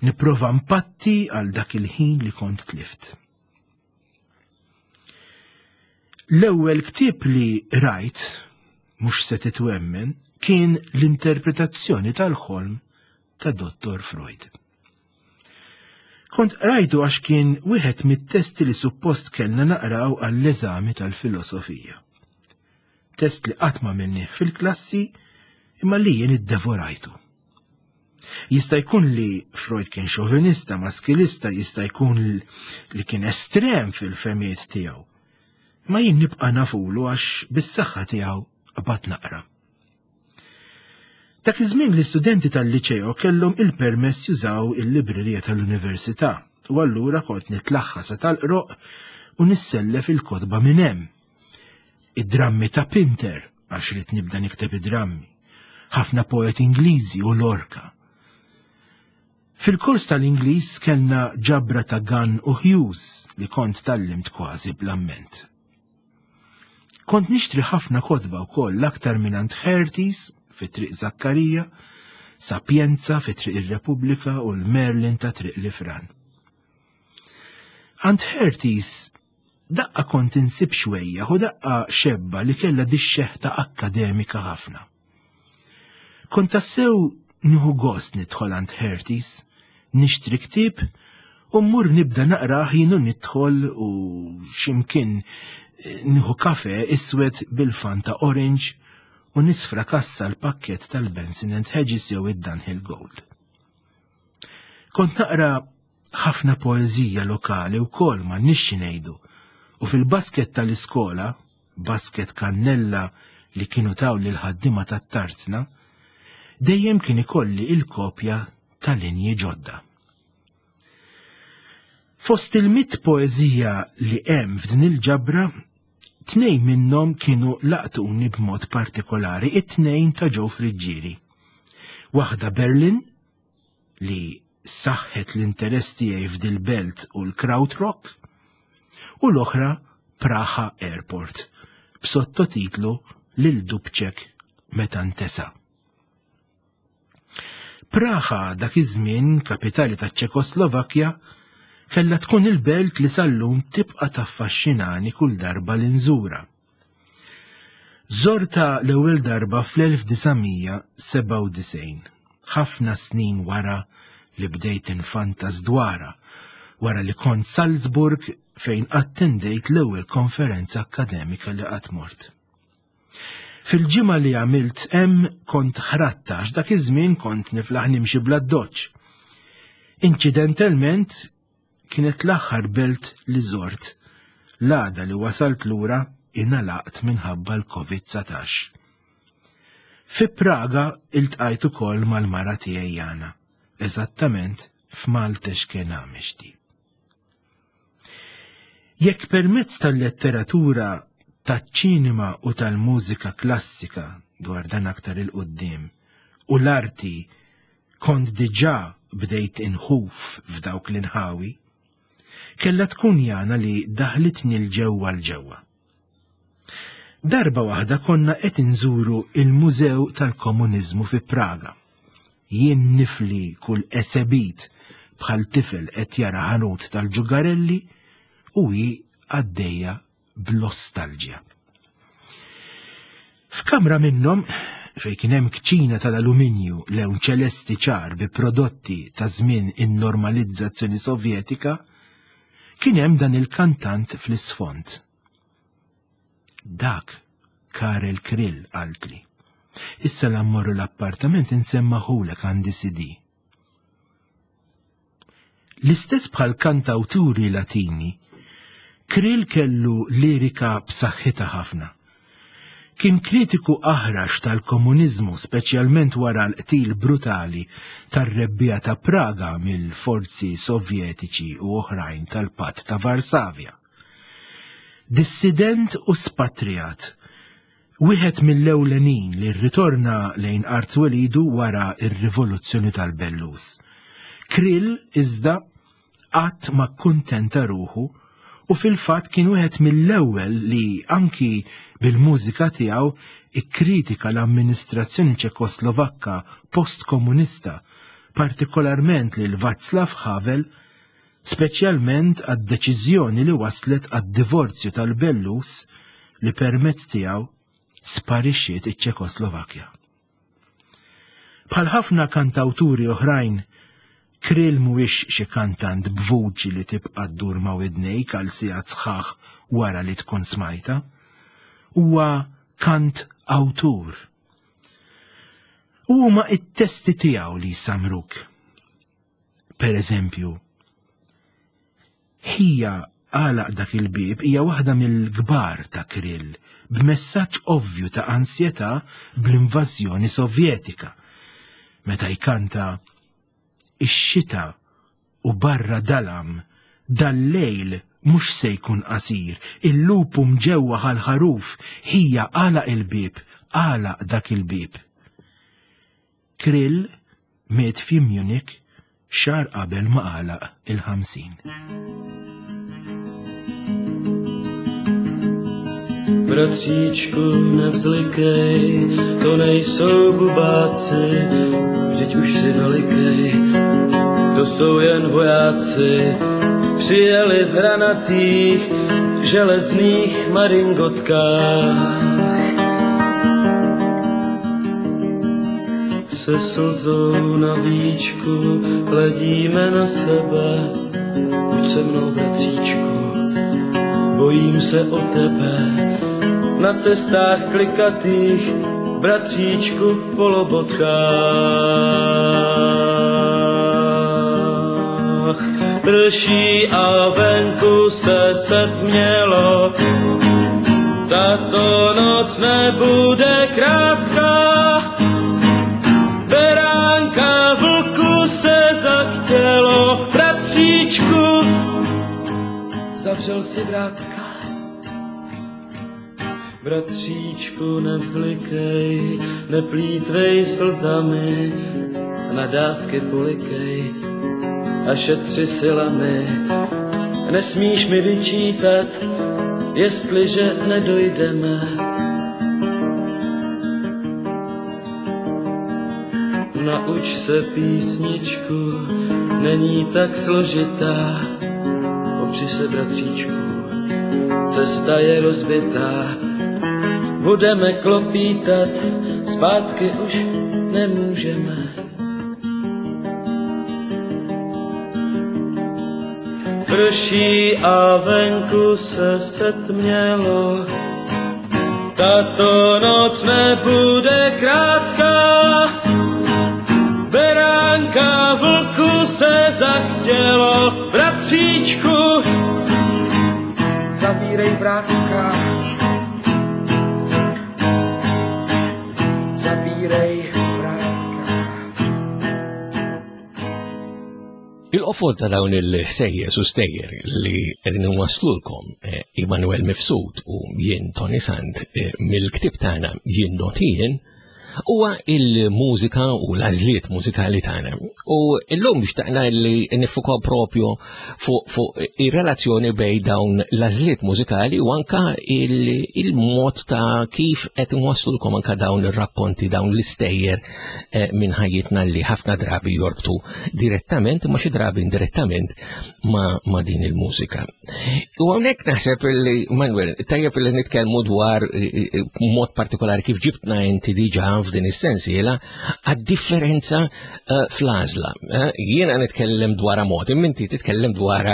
nipprova mpatti għal dak il-ħin li kont tlift. L-ewwel ktieb li rajt, mhux se titwemmen, kien l-interpretazzjoni tal-ħolm ta' Dottor Freud. Kont rajtu għax kien wieħed mit-testi li suppost kellna naqraw għall-eżami tal-filosofija. Test li qatt ma minnih fil-klassi imma li jien iddevorajtu. Jista' jkun li Freud kien xovinista, maskilista, jista' jkun li kien estrem fil-femijiet tiegħu. Ma jien nibqa' nafulu għax bis-saħħa tiegħu qbad naqra. Dak iż-żmien l-istudenti tal-liċeo kellhom il-permess jużaw il-librerija tal-università u allura kont nitlaħħa sa tal-qroq u nissellef il-kotba minn hemm. Id-drammi ta' Pinter, għax rid nibda nikteb id-drammi, ħafna poeti Ingliżi u Lorca. Fil-kors tal-Ingliż kellna ġabra ta' Gunn u Hughes li kont tallimt kważi bl-amment. Kont nixtri ħafna kotba wkoll, l-aktar minn għand Herties fi Triq Zakkarija, Sapienza fi Triq ir-Repubblika u l-Merlin ta' Triq Lifran. Għand Herties daqqa kont insib xwejja u daqqa xebba li kellha dix-xeħta akkademika ħafna. Kont tassew nieħu gost nidħol għand Herties, nixtri ktieb u mmur nibda naqrah jien u nidħol u x'imkien nieħu kafe iswed bil-Fanta Orange u nisfrakassa l-pakket tal-Benson and Hedges jew id-Dunhill Gold. Kont naqra ħafna poeżija lokali wkoll ma nixxi ngħidu, u fil-basket tal-iskola, basket kannella li kienu taw lil ħaddiema tat-tarzna, dejjem kien ikolli il-kopja tal-linji ġodda. Fost il-mitt poeżija li hemm f'din il-ġabra, tnejn minnhom kienu laqtuni b'mod partikolari, it-tnejn ta' Joe Friggieri. Waħda Berlin, li saħħet l-interess tiegħi f'dil-belt u l-Krautrock, u l-oħra Praha Airport, b'sottotitlu Lil Dubček meta ntesa. Praha dak iż-żmien, kapitali taċ-Ċekoslovakkja, kellha tkun il-belt li sal-lum tibqa' taffaxxinani kull darba li nżura. Żorta l-ewwel darba fl-elf disa' mija sebgħa u disgħin, ħafna snin wara li bdejt infantas dwarha, wara li kont Salzburg fejn attendejt l-ewwel konferenza akkademika li qatt mort. Fil-ġimgħa li għamilt hemm kont ħratta għax dak iż-żmien kont niflaħ nimxi bl-addoċċ. Inċidentalment kienet l-aħħar belt li żort, l-għada li wasalt lura ingħalaqt minħabba l-Covid dsatax. Fi Praga iltqajt ukoll mal-mara tiegħi Jana, eżattament f'Maltex Náměstí. Jekk permezz tal-letteratura, taċ-ċinema u tal-mużika klassika dwar dan aktar il-qoddim u l-arti kont diġà bdejt inħuf f'dawk l-inħawi, kella tkun Jana li daħlitni l-ġewwa l-ġewwa. Darba waħda konna qed inżuru il-Mużew tal-Komuniżmu fi Praga. Jien nifli kull esebit bħal tifel qed jara ħanut tal-ġugarelli u hi għaddejja b'nostalġja. F'kamra minnhom fejn kien hemm kċina tal-aluminju lewn ċelesti ċar bi prodotti ta' żmien in-normalizzazzjoni Sovjetika, kien hemm dan il-kantant fl-isfond. Dak Karel Kryl, qaltli. Issa la mmorru l-appartament insemmaħulek, għandi C D. L-istess bħal kantawturi Latini, Kryl kellu lirika b'saħħitha ħafna. Kien kritiku aħrax tal-komuniżmu, speċjalment wara l-qtil brutali tar-Rebbiegħa ta' Praga mill-forzi Sovjetiċi u oħrajn tal-Patt ta' Varsavja. Dissident u spatrijat, wieħed mill-ewlenin li rritorna lejn art welidu wara ir-rivoluzzjoni tal-Bellus. Kryl iżda qatt ma kuntenta ruħu u fil-fatt kien wieħed mill-ewwel li anki bil-mużika tiegħu ikkritika l-amministrazzjoni Ċekoslovakka post-komunista, partikolarment lil Václav Havel, speċjalment għad-deċiżjoni li waslet għad-divorzju tal-Bellus li permezz tiegħu sparixxiet iċ-Ċekoslovakkja. Bħal ħafna kantawturi oħrajn, Kryl mhuwiex xi kantant b'vuċi li tibqa' ddur ma' widnejk għal sigħat sħaħ wara li tkun smajta. Huwa kant awtur. U huma it-testi tiegħu li jsamruk. Per eżempju, "Ħija għalaq dak il-bib" hija waħda mill-kbar ta' Kryl, b'messaġġ ovvju ta' ansjetà bl-invażjoni Sovjetika. Meta jkanta: "Ix-xita u barra dalam, dal-lejl mhux se jkun qasir, il-lupu mġewwa ħal-ħaruf, ħija għalaq il-bib, għalaq dak il-bib." Kryl miet fi Munich xahar qabel ma għalaq il-ħamsin. Bratříčku, nevzlikej, to nejsou bubáci, vždyť už jsi velikej, to jsou jen vojáci, přijeli v hranatých železných maringotkách. Se slzou na víčku hledíme na sebe, buď se mnou, bratříčku, bojím se o tebe. Na cestách klikatých, bratříčku, v polobotkách. Prší a venku se setmělo, tato noc nebude krátká. Beránka vlku se zachtělo, bratříčku, zavřel si vrátka. Bratříčku, nevzlikej, neplýtvej slzami, na dávky polikej a šetři silami. Nesmíš mi vyčítat, jestliže nedojdeme. Nauč se písničku, není tak složitá, opři se, bratříčku, cesta je rozbitá. Budeme klopítat, zpátky už nemůžeme. Prší a venku se setmělo, tato noc nebude krátká. Beránka vlku se zachtělo, bratříčku, zavírej vrátka. Zavírej vrátka. Il-qofol ta' dawn il-ħsejjes u stejjer li qegħdin inwasslulkom eh, Immanuel Mifsud u jien Toni Sant eh, mill-ktib tagħna Jien Not Jien huwa il-mużika u l-għażliet mużikali tagħna. U llum xtaqna li niffukaw propju fuq fu ir-relazzjoni bejn dawn l-għażliet mużikali u anka il-mod ta' kif qed nwaslulkom anka dawn ir-rakkonti, dawn l-istejjer eh, minn ħajjitna li ħafna drabi jorbtu direttament ma xi drabi indirettament ma, ma din il-mużika. U hawnhekk naħseb li Manuel, tajjeb li nitkellmu dwar eh, eh, mod partikolari kif ġibtna inti diġà f'din is-sensiela għad-differenza uh, fl-għażla. Uh, jiena nitkellem dwar mod, imma inti titkellem dwar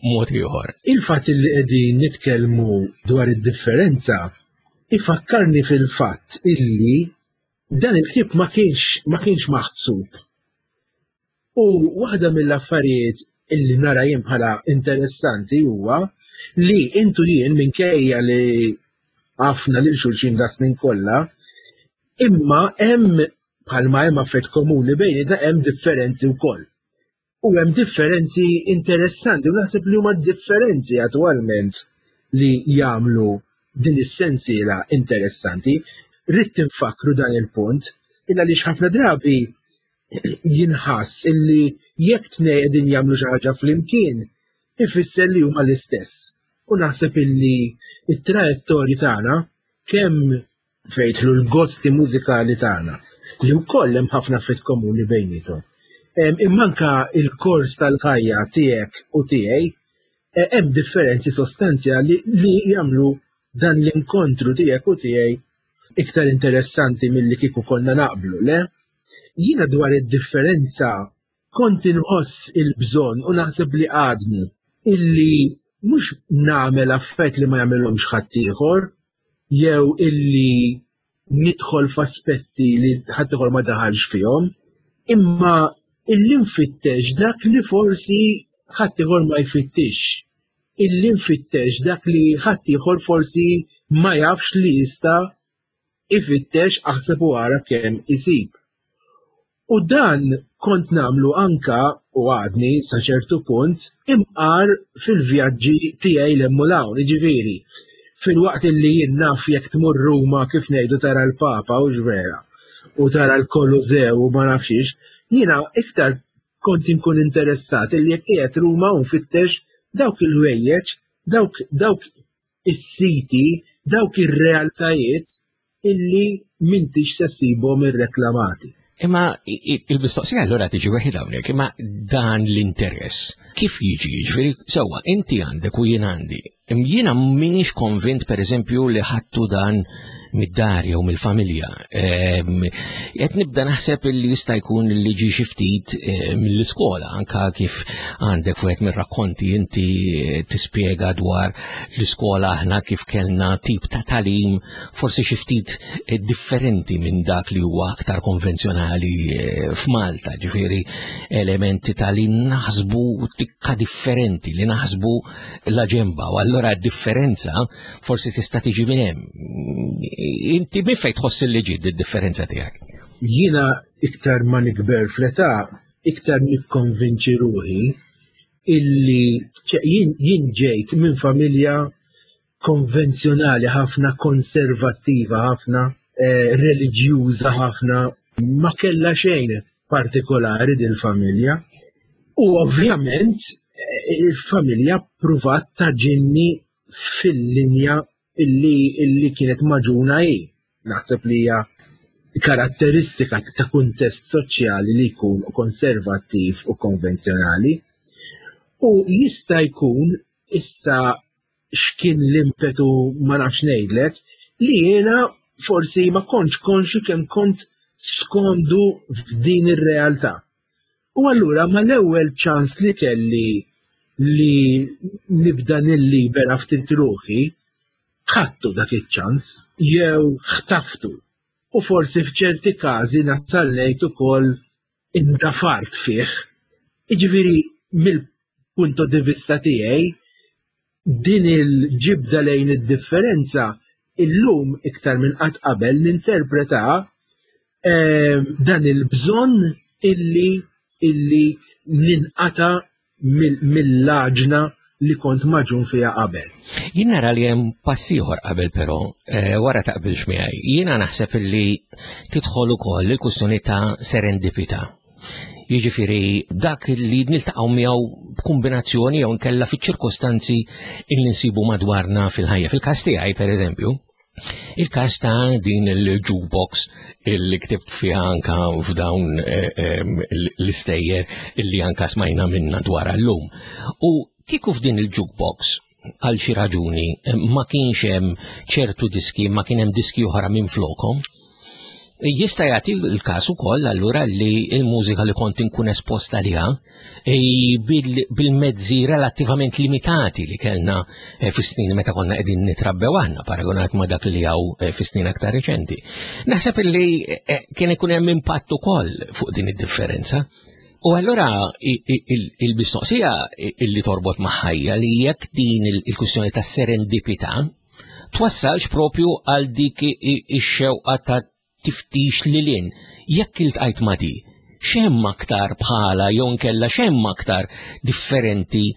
mod ieħor. Il-fatt li qegħdin nitkellmu dwar id-differenza ifakkarni fil-fatt illi dan il-ktieb ma kienx ma kienx maħsub. U waħda mill-affarijiet illi nara jien bħala interessanti huwa li intu jien minkejja li għafna lil xulxin da snin kollha, imma hemm bħalma hemm affett komuni bejnietna hemm differenzi wkoll. U hemm differenzi interessanti u naħseb li huma differenzi attwalment li jagħmlu din is-sensiela interessanti. Ridt infakru dan il-punt illa li ħafna drabi jinħass illi jekk tnejn qegħdin jagħmlu xi ħaġa flimkien ifisser li huma l-istess. U naħseb illi it-trajettorji tagħna kemm fejn jidħlu l-gosti mużikali tagħna li wkoll hemm ħafna affett komuni bejniethom. Imma anka il-kors tal-ħajja tiegħek u tiegħi eh, hemm differenzi sostanzjali li jagħmlu dan l-inkontru tiegħek u tiegħi iktar interessanti milli kieku konna naqblu, le? Jiena dwar id-differenza kont inħoss il-bżonn u naħseb li għadni illi mhux nagħmel affett li ma jagħmilhomx ħaddieħor jew illi nidħol f'aspetti li ħaddieħor ma daħalx fihom, imma illi nfittex dak li forsi ħaddieħor ma jfittix. Illi nfittex dak li ħaddieħor forsi ma jafx li jista' ifittex aħseb u ara kemm isib. U dan kont nagħmlu anka u għadni sa ċertu punt imqar fil-vjaġġi tiegħi 'l hemm u 'l hawn, jiġifieri fil-waqt li jien naf jekk tmur Ruma kif ngħidu tara l-Papa u vera u tara l-Kolożew u ma nafx jiena iktar kont inkun interessat illi jekk qiegħed Ruma u nfittex dawk il-ħwejjeġ, dawk dawk is-siti, dawk ir-realtajiet illi m'intix se ssibhom irreklamati. Imma il-mistoqsija allura tiġi weħid hawnhekk, imma dan l-interess kif jiġi? Jiġifieri sewwa inti għandek u jien għandi. Jiena m'iniex konvint pereżempju li ħadtu dan mid-dar jew mill-familja. Qed nibda naħseb li jista' jkun li ġi xi ftit mill-iskola, anka kif għandek fuq mir-rakkonti inti tispjega dwar l-iskola aħna kif kellna tip ta' talim forsi xi ftit differenti minn dak li huwa aktar konvenzjonali f'Malta, ġifieri elementi ta' li naħsbu tikka differenti, li naħsbu la ġemba, u allura d-differenza forsi tista' tiġi minn hemm. Inti minn fejn tħoss li ġiet id-differenza tiegħek? Jiena iktar ma nikber fl-età, iktar nikkonvinċi ruħi illi jien, jien ġejt minn familja konvenzjonali ħafna, konservattiva ħafna, eh, reliġjuża ħafna, ma kellha xejn partikolari dil-familja. U ovvjament eh, il-familja pruvat taġinni fil-linja illi, illi kienet maġuna hi. Naħseb li hija karatteristika ta' kuntest soċjali li jkun konservattiv u konvenzjonali. U jista' jkun issa x'kien l-impetu ma nafx ngħidlek li jiena forsi ma kontx konxju kemm kont skomdu f'din ir-realtà. U allura mal-ewwel ċans li kelli li nibda nillibera ftit ruħi, ħadtu dak iċ-ċans jew ħtaftu. U forsi f'ċerti każi nasal ngħid ukoll indafart fih. Jiġifieri mill-punto di vista tiegħi din il-ġibda lejn id-differenza illum iktar minn qatt qabel ninterpreta eh, dan il-bżonn illi illi ninqata mill-għaġna li kont magħġun fiha qabel. Jien nara li hemm pass ieħor qabel però, eh, wara taqbilx miegħi. Jiena naħseb li tidħol ukoll il-kwistjoni ta' serendipità. Jiġifieri dak li niltaqgħu miegħu b'kombinazzjoni jew nkella fiċ-ċirkostanzi li nsibu madwarna fil-ħajja. Fil-każ tiegħi pereżempju, il-każ ta' din il-jukebox illi ktibt fiha anka f'dawn eh, eh, l-istejjer illi anka smajna minna dwar llum. U kieku f'din il-jukebox għal xi raġuni ma kienx hemm ċertu diski, ma kien hemm diski oħra minn flokhom, jista' jagħti l-każ ukoll allura li l-mużika li kont inkun esposta liha bil-mezzi relattivament limitati li kellna eh, fis-snin meta konna qegħdin nitrabbew aħna paragonat ma' dak li hawn eh, fis-snin aktar reċenti. Naħseb li eh, kien ikun hemm impatt ukoll fuq din id-differenza. U allura il-mistoqsija illi torbot maħħajja li jekk din il-kwistjoni ta' serendipità twassalx propju għal dik ix-xewqa ta' tiftix lil hinn. Jekk iltqajt ma' di, x'hemm aktar bħala jew nkella x'hemm aktar differenti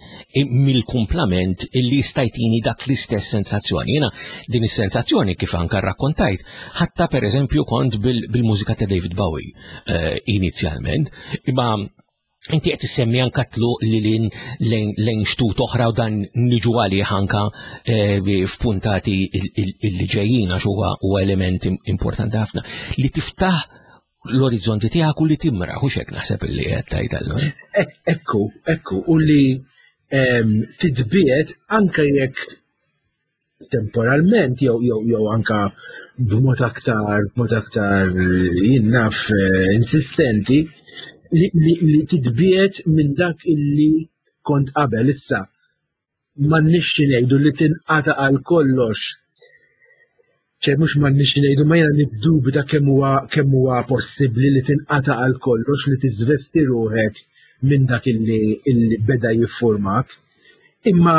mill-kumplament illi jista' jtini dak l-istess sensazzjoni. Jiena din is-sensazzjoni kif anka rrakkontajt, ħatta pereżempju kont bil-mużika ta' David Bowie eh, inizjalment, imma inti qed issemmi anka tluq li lin lejn xtut oħra u dan niġu għalih anka eh, f'puntati illi ġejjin għax huwa huwa element importanti ħafna li tiftaħ l-orizzonti tiegħek u li timra, hux hekk naħseb illi qed tgħid allura. Ekku, ekku, u li titbiet anka jekk temporalment jew jew jew anka b'mod aktar b'mod aktar jien naf eh, insistenti li, li, li titbiet minn dak illi kont qabel issa m'għandniex ngħidu li tinqata' għal kollox. ċe mhux m'għandniex ngħidu ma jiena niddubita kemm huwa kemm huwa possibbli li tinqata' għal kollox li tiżvesti ruħek minn dak illi, illi beda jiffurmak. Imma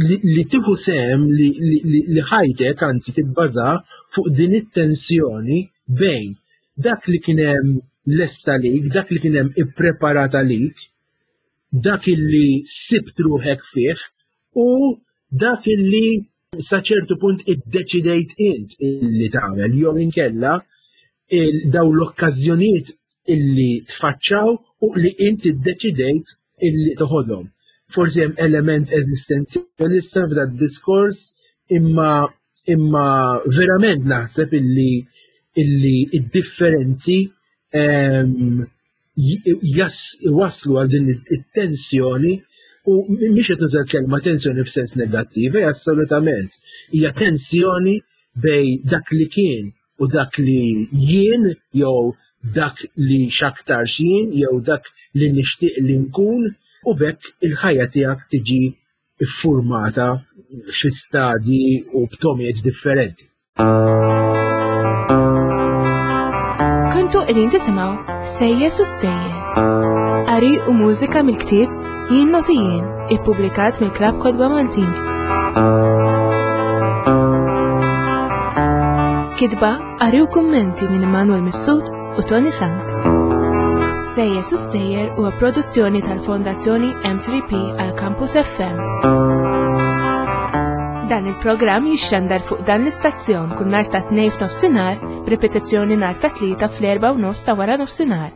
li, li tieħu sehem li, li, li, li ħajtek anzi tibbaża fuq din it-tensjoni bejn dak li kien hemm lest għalik, dak li kien hemm ippreparat għalik, dak illi sibt ruħek fih u dak illi sa ċertu punt iddeċidejt int illi tagħmel jew inkella daw l-okkażjonijiet illi tfaċċaw u li int iddeċidejt illi toħodhom. Forsi hemm element eżistenzjalista f'dak diskors imma imma verament naħseb illi illi id-differenzi waslu għal din it-tensjoni u mhix qed nuża l-kelma tensjoni f'sens negattiv, hija assolutament hija tensjoni bej dak li kien u dak li jien jew dak li x'aktarx jien jew dak li nixtieq li nkun u bekk il-ħajja tiegħek tiġi iffurmata fi stadji u b'tomijiet differenti. Kontu qegħdin tisimgħu Sejjes u Stejjer. Qari u mużika mill-ktieb Jien Noti Jien, ippubblikat mill-Klabb Kotba Maltin. Kitba, qari u kummenti minn Immanuel Mifsud u Toni Sant. Sejjes u Stejjer huwa produzzjoni tal-Fondazzjoni M three P għal Campus F M. Dan il-programm jixxandar fuq dan l-istazzjon kull nhar ta' tnejn f'nofsinhar, b'ripetizzjoni nhar ta' tlieta fl-erba' u nofs ta' wara nofsinhar.